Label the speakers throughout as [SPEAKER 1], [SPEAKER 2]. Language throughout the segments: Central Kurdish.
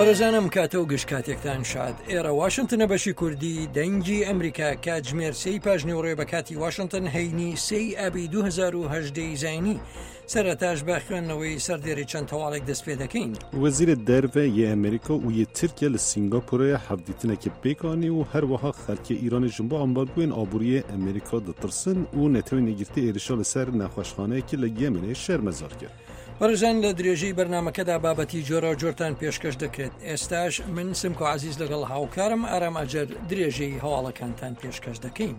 [SPEAKER 1] بەڕێزان ئەم کاتە و گشت کاتێکتان شاد ئێرە واشنتنە بەشی کوردی دەنگی ئەمریکا کاتژمێر سێی پاش نیوەڕۆیە بە کاتی واشنتن هەینی سێی ئابی 2010 زینی سەرەتاش بە خوێندنەوەی سەردێری چەند هەواڵێک دەست پێ دەکەین.
[SPEAKER 2] وەزیرê Derve yê Amerîka û yê Tirkiye li Sîngapûrê hevdîtinekê pêk anî û herwiha xelkê Îranê ji bo ambargoyên aboriyê Amerîka ditirsin û Netewên Yekgirtî êrişa li ser nexweşxaneyekê li Yemenê şermezar kir.
[SPEAKER 1] بەڕێزان لە درێژەی بەرنامەکەدا بابەتی جۆراوجۆرتان پێشکەش دەکرێت ئێستاش من سمکۆ عەزیز لەگەڵ هاوکارم ئارام ئەجەر درێژەی هەواڵەکانتان پێشکەش دەکەین.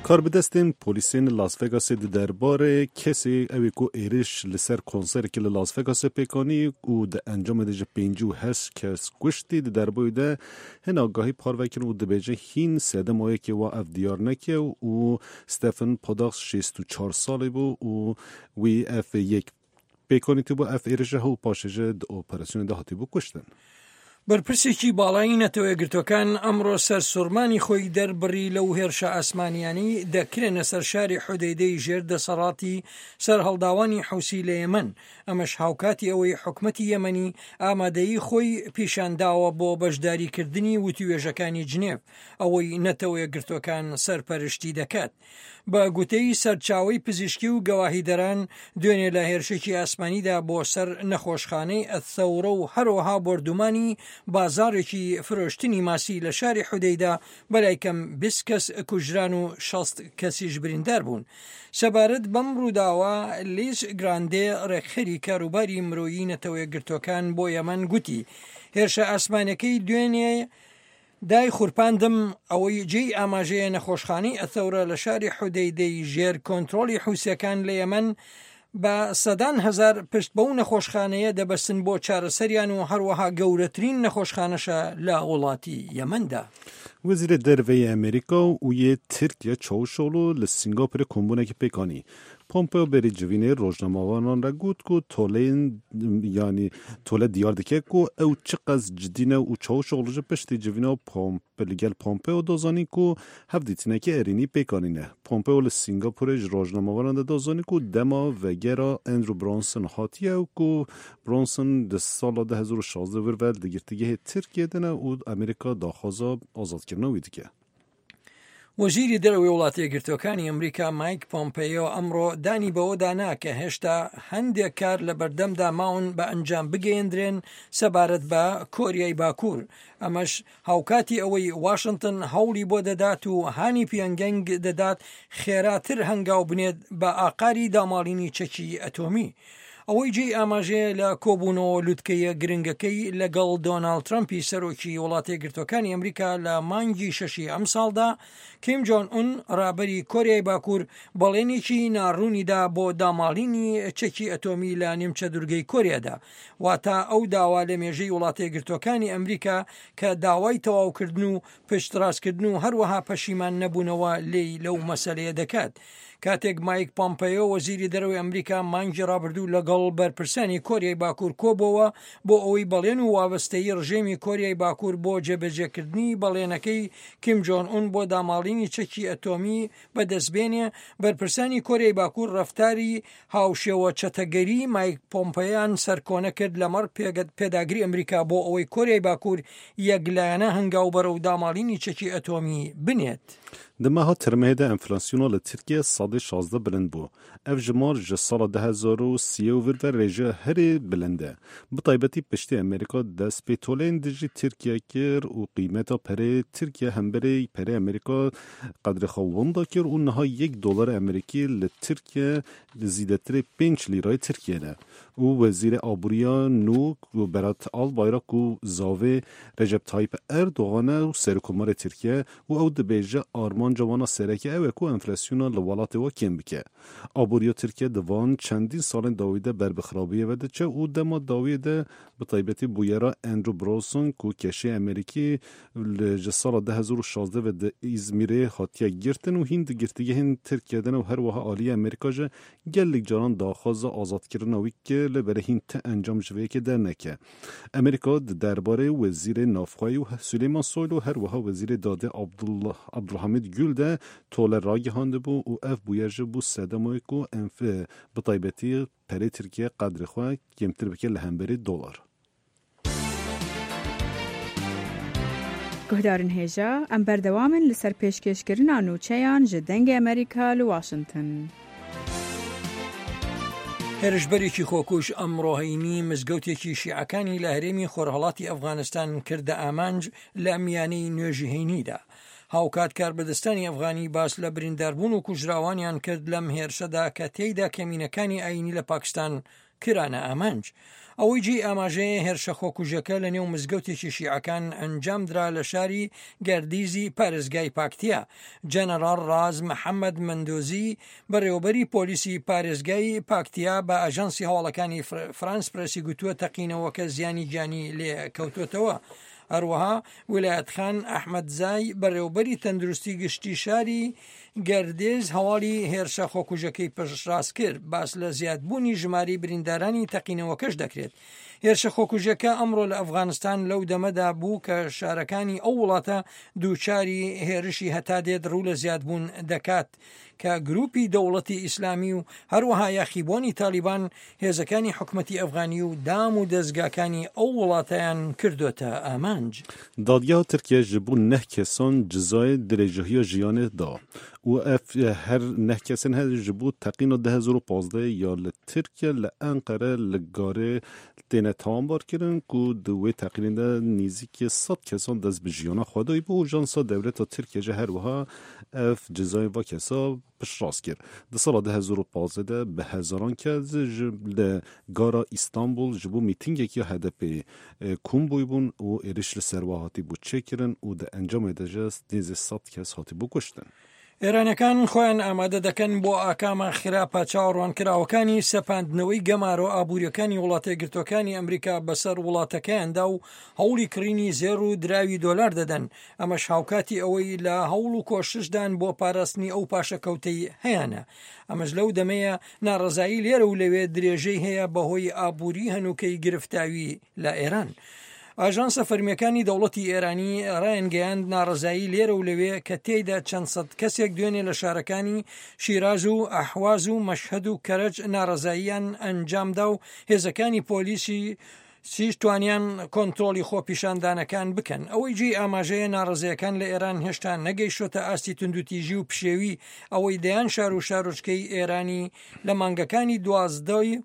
[SPEAKER 2] Karbidestên polîsên Las Vegasê di derbarê kesê ew ê ku êriş li ser konserekê li Las Vegasê pêk anî û di encamê de ji 58 kes kuştî di derbarê de hin agahî parve kirin û dibêje hîn sedema yekê wa ev diyar neke û Stephen Paddock 64 salî bû û wî ev yek پێکانیتبوو ev êrişe û paşê jî di operasyonê de hatibû kuştin.
[SPEAKER 1] بەرپرسێکی باڵای نەتەوەیەکگرتووەکان ئەمڕۆ سەرسوڕمانی خۆی دەربڕی لەو هێرشە ئاسمانیانەی دەکرێنە سەر شاری حودەیدەی ژێر دەسەڵاتی سەرهەڵداوانی حوسی لە یەمەن، ئەمەش هاوکاتی ئەوەی حکومەتی یەمەنی ئامادەیی خۆی پیشانداوە بۆ بەشداریکردنی وتووێژەکانی جنێڤ، ئەوەی نەتەوەیەکگرتووەکان سەرپەرشتی دەکات. بە گوتەی سەرچاوەی پزیشکی و گەواهیدەران، دوێنێ لە هێرشێکی ئاسمانیدا بۆ سەر نەخۆشخانەی ئەلثەورە و هەروەها بۆردومانی بازاڕێکی فرۆشتنی ماسی لە شاری حودەیدە بەلای کەم 20 کەس کوژران و 60 کەسیش بریندار بوون. سەبارەت بەم ڕووداوە، لیز گراندێ ڕێکخەری کاروباری مرۆیی نەتەوەیەکگرتووەکان بۆ یەمەن گوتی، هێرشە ئاسمانیەکەی دوێنێ دای خورپاندم، ئەوەی جێی ئاماژەیە نەخۆشخانەی ئەثەورە لە شاری حودەیدەی ژێر کۆنترۆڵی حوسیەکان لە یەمەن بە سەدان هەزار پشت بەو نەخۆشخانەیە دەبەستن بۆ چارەسەریان و هەروەها گەورەترین نەخۆشخانەشە لە وڵاتی یەمەندا.
[SPEAKER 2] Wezîrê Derve yê Amerîka û yê Tirkiye Çavuşoglu li Singapûrê kombûnekê pêk anî. Pompeo berî civînê rojnamevanan re got ku toleyên yanî tole diyar dike ku ew çi qas cidî ne û Çavuşoglu jî piştî civîna Pomp li gel Pompeo da zanîn ku hevdîtineke erênî pêk anîne. Pompeo li Singapûrê ji rojnamevanan de da zanîn ku dema vegera Andrew Brunson hatiye û ku Brunson di sala 2016 vir ve di girtîgehê Tirkiyê de ne û Amerîka daxwaza azadkirina wî dike.
[SPEAKER 1] وەزیری دەرەوەی وڵاتە یەکگرتووەکانی ئەمریکا مایک پۆمپەیۆ ئەمڕۆ دانی بەوەدا نا کە هێشتا هەندێک کار لە بەردەمدا ماون بە ئەنجام بگەیەندرێن سەبارەت بە کۆریای باکوور، ئەمەش هاوکاتی ئەوەی واشنتن هەوڵی بۆ دەدات و هانی پیۆنگیانگ دەدات خێراتر هەنگاو بنێت بە ئاقاری داماڵینی چەکی ئەتۆمی. ئەوەی جێی ئاماژەیە لە کۆبوونەوە لوتکەیە گرنگەکەی لەگەڵ دۆناڵد ترەمپی سەرۆکی وڵاتەیەکگرتووەکانی ئەمریکا لە مانگی شەشی ئەمساڵدا، کیم جۆن ئون ڕابەری کۆریای باکوور بەڵێنێکی ناڕوونی دا بۆ داماڵینی چەکی ئەتۆمی لە نیمچە دورگەی کۆریادا، واتە ئەو داوا لە مێژەی وڵاتەیەکگرتووەکانی ئەمریکا کە داوای تەواوکردن و پشتڕاستکردن و هەروەها پەشیمان نەبوونەوە لێی لەو مەسەلەیە دەکات. کاتێک مایک پۆمپەیۆ وەزیری دەرەوەی ئەمریکا مانگی ڕابردوو لەگەڵ بەرپرسانی کۆریای باکوور کۆبۆوە بۆ ئەوەی بەڵێن و وابەستەیی ڕژێمی کۆریای باکوور بۆ جێبەجێکردنی بەڵێنەکەی کیم جۆن ئون بۆ داماڵینی چەکی ئەتۆمی بەدەستبێنێ، بەرپرسانی کۆریای باکوور ڕەفتاری هاوشێوە چەتەگەری مایک پۆمپەیان سەرکۆنە کرد لەمەڕ پێداگری ئەمریکا بۆ ئەوەی کۆریای باکوور یەکلایەنە هەنگاو بەرەو داماڵینی چەکی ئەتۆمی بنێت.
[SPEAKER 2] Di meha Tirmehê de enflasyona li Tirkiyê sedê 16 bilind bû. Ev jimar ji sala 2003 û vir ve rêjeya herî bilind e. Bi taybetî piştî Amerîka dest pê toleyên dijî Tirkiye kir û qîmeta pereyê Tirkiye hemberê pereyê Amerîka qedrê xwe winda kir û niha yek dolarê Amerîkî li Tirkiye zîdetirê pênc lîrayê Tirkiyê ne. Û Wezîrê Aboriya nû Berat Albayrak ku zavê Recep Tayyip Erdogan e û Serokkomarê Tirkiye û ew dibêje armanca wan a sereke ew e ku enflasyona li welatê we kêm bike. Aboriya Tirkiye di van çendîn salên dawî de ber bi xirabiyê ve diçe û dema dawiyê de bi taybetî bûyera Andrew Brunson ku keşeyê Amerîkî li ji sala 2016 ve di Îzmîrê hatiye girtin û hîn di girtîgehên Tirkiye de ne û her wiha aliyê Amerîka ji gelek caran daxwaza azadkirina wî kir. lê belê hîn ti encam ji vê yekê derneke. Amerîka di derbarê Wezîrê Navxweyî û Suleyman Soylu her wiha Wezîrê Dadê Abdulhamîd Gul de tole ragihandibû û ev bûyer jî bû sedema wê ku bi taybetî perê Tirkiye qedrê xwe kêmtir bike li hemberî dolar.
[SPEAKER 3] Guhdarên hêja, em berdewam in li ser pêşkêşkirina nûçeyan ji Dengê Amerîka li Washington.
[SPEAKER 1] هێرشبەرێکی خۆکوژ ئەمڕۆ هەینی مزگەوتێکی شیعەکانی لە هەرێمی خۆرهەڵاتی ئەفغانستان کردە ئامانج لە میانەی نوێژی هەینیدا. هاوکات کاربەدەستانی ئەفغانی باس لە برینداربوون و کوژراوانیان کرد لەم هێرشەدا کە تێیدا کەمینەکانی ئایینی لە پاکستان کرانە ئامانج. ئەوەی جێی ئاماژەیە هێرشە خۆکوژەکە لە نێو مزگەوتێکی شیعەکان ئەنجامدرا لە شاری گەردیزی پارێزگای پاکتیا. جەنەڕاڵ ڕاز محەمەد مەندۆزی بەڕێوەبەری پۆلیسی پارێزگای پاکتیا بە ئاژانسی هەواڵەکانی فرانس پرێسی گوتووە تەقینەوەکە زیانی گیانی لێ کەوتووەتەوە. هەروەها ویلایەت خان ئەحمەدزای بەڕێوەبەری تەندروستی گشتی شاری گەردێز هەواڵی هێرشە خۆکوژەکەی پشتڕاست کرد، باس لە زیادبوونی ژمارەی بریندارانی تەقینەوەکەش دەکرێت. هێرشە خۆکوژەکە ئەمڕۆ لە ئەفغانستان لەو دەمەدا بوو کە شارەکانی ئەو وڵاتە دووچاری هێرشی هەتا دێت ڕوو لە زیادبوون دەکات کە گروپی دەوڵەتی ئیسلامی و هەروەها یاخیبووانی تالیبان هێزەکانی حکومەتی ئەفغانی و دام و دەزگاکانی ئەو وڵاتەیان کردۆتە ئامانج.
[SPEAKER 2] دادگەها Tirkiye ji bo neh kesan cizayê dirêjahiya jiyanê da û ev her neh kesên he ji bo teqîna 2015 ya li Tirkiye li Enqere li Garê têne tawanbar kirin ku di wê teqînê de nêzîkî sed kesan dest bi jiyana xwe dayîbû û jansa dewleta Tirkiye jî her wiha ev cizayê va kesa piştrast kir. Di sala 2015 de bi hezaran kes ji li gara Îstanbul ji bo mîtîngek ya HDP'ê kom bûyibûn û êriş li ser we hatîbû çêkirin û di encamê de ji nêzî sed kes hatîbû kuştin.
[SPEAKER 1] ئێرانەکان خۆیان ئامادە دەکەن بۆ ئاکامە خراپە چاوەڕوانکراوەکانی سەپاندنەوەی گەمارۆ ئابووریەکانی وڵاتە یەکگرتووەکانی ئەمریکا بەسەر وڵاتەکەیاندا و هەوڵی کڕینی زێڕ و دراوی دۆلار دەدەن، ئەمەش هاوکاتی ئەوەی لە هەوڵ و کۆششدان بۆ پاراستنی ئەو پاشەکەوتەی هەیانە. ئەمەش لەو دەمەیە ناڕەزایی لێرە و لەوێ درێژەی هەیە بەهۆی ئابووری هەنووکەی گرفتاوی لە ئێران. ئاژانسە فەرمییەکانی دەوڵەتی ئێرانی ڕایانگەیاند ناڕەزایی لێرە و لەوێ کە تێیدا چەند سەد کەسێک دوێنێ لە شارەکانی شیراز و ئەحواز و مەشهەد و کەرەج ناڕەزاییان ئەنجامدا و هێزەکانی پۆلیسی سیش توانیان کۆنترۆڵی خۆپیشاندانەکان بکەن. ئەوەی جێی ئاماژەیە ناڕەزایەکان لە ئێران هێشتا نەگەیشتۆتە ئاستی توندوتیژی و پشێوی ئەوەی دەیان شار و شارۆچکەی ئێرانی لە مانگەکانی 12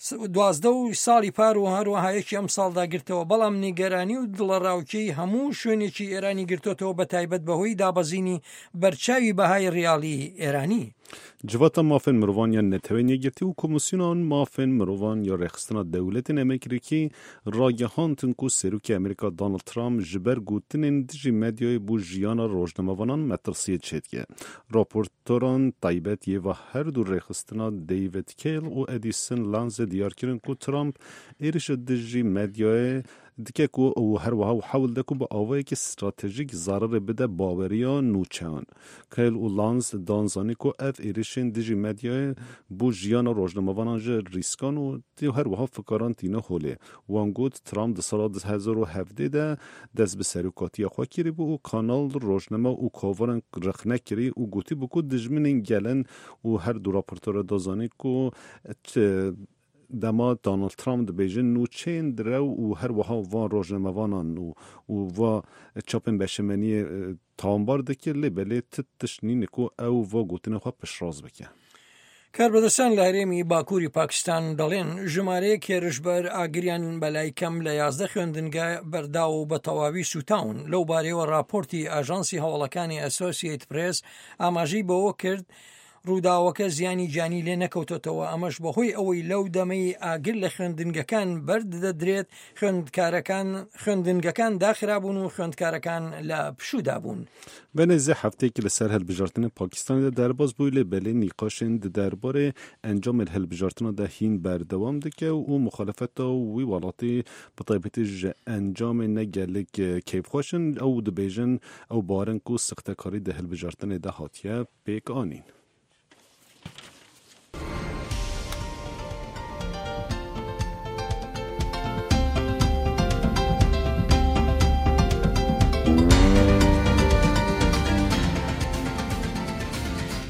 [SPEAKER 1] 12 و ساڵی پار و هەروەها یەکی ئەم ساڵدا گرتەوە بەڵام نیگەرانی و دڵەڕاوکێی هەموو شوێنێکی ئێرانی گرتۆتەوە بە تایبەت بەهۆی دابەزینی بەرچاوی بەهای ڕیاڵی ئێرانی.
[SPEAKER 2] Civata Mafên Mirovan ya Neteweyên Yekgirtî û Komîsyona Mafên Mirovan ya Rêxistina Dewletên Amerîkî ragihandin ku Serokê Amerîka Donald Trump ji ber gotinên dijî medyayê bo jiyana rojnamevanan metirsiyê çêdike. Raportoran taybet yê va her du rêxistina David Kale û Edison Lanze diyar kirin ku Trump êrişa dijî medyayê dike ku û herwiha û hewl dide ku bi awayekî stratejîk zerarê bide baweriya nûçeyan. Kale û Lanz dan zanîn ku ev êrişên dijî medyayê bo jiyana rojnamevanan ji rîskan û herwiha fikaran tîne holê. Wan got, Trump di sala 2017 de dest bi serokatiya xwe kiribû û kanal, rojname û kovaran rexne kirî û gotibû ku dijminên gel in û her du raportora da zanîn ku Dema Donald Trump dibêje nûçeyên direw û her wiha van rojnamevanan û û va çapên beşemeniyê tawanbar dike lê belê ti tişt nîne ku ew va gotinên xwe piştrast bike.
[SPEAKER 1] کاربەدەستان لە هەرێمی باکووری پاکستان دەڵێن ژمارەیەک هێرشبەر ئاگریان بەلای کەم لە 11 خوێندنگە بەرداوە و بە تەواوی سوتاون. لەو بارەیەوە راپۆرتی ئاژانسی هەواڵەکانی ئەسۆسیەیت پرێس ئاماژەی بەوە کرد ڕووداوەکە زیانی گیانی لێ نەکەوتۆتەوە، ئەمەش بەهۆی ئەوەی لەو دەمەی ئاگر لە خوێندنگەکان بەردەدرێت خوێندکارەکان خوێندنگەکان داخرابوون و خوێندکارەکان لە پشوودا بوون.
[SPEAKER 2] Ve nêzî hefteyekî li ser hilbijartinên Pakistanê de derbas bû lê belê nîqaşên di derbarê encamên hilbijartina de hîn berdewam dike û muxalefeta wî welatî bi taybetî ji encamê ne gelek keyfxweş in ew dibêjin ew barin ku sixtekarî di hilbijartinê de hatiye pêk anîn.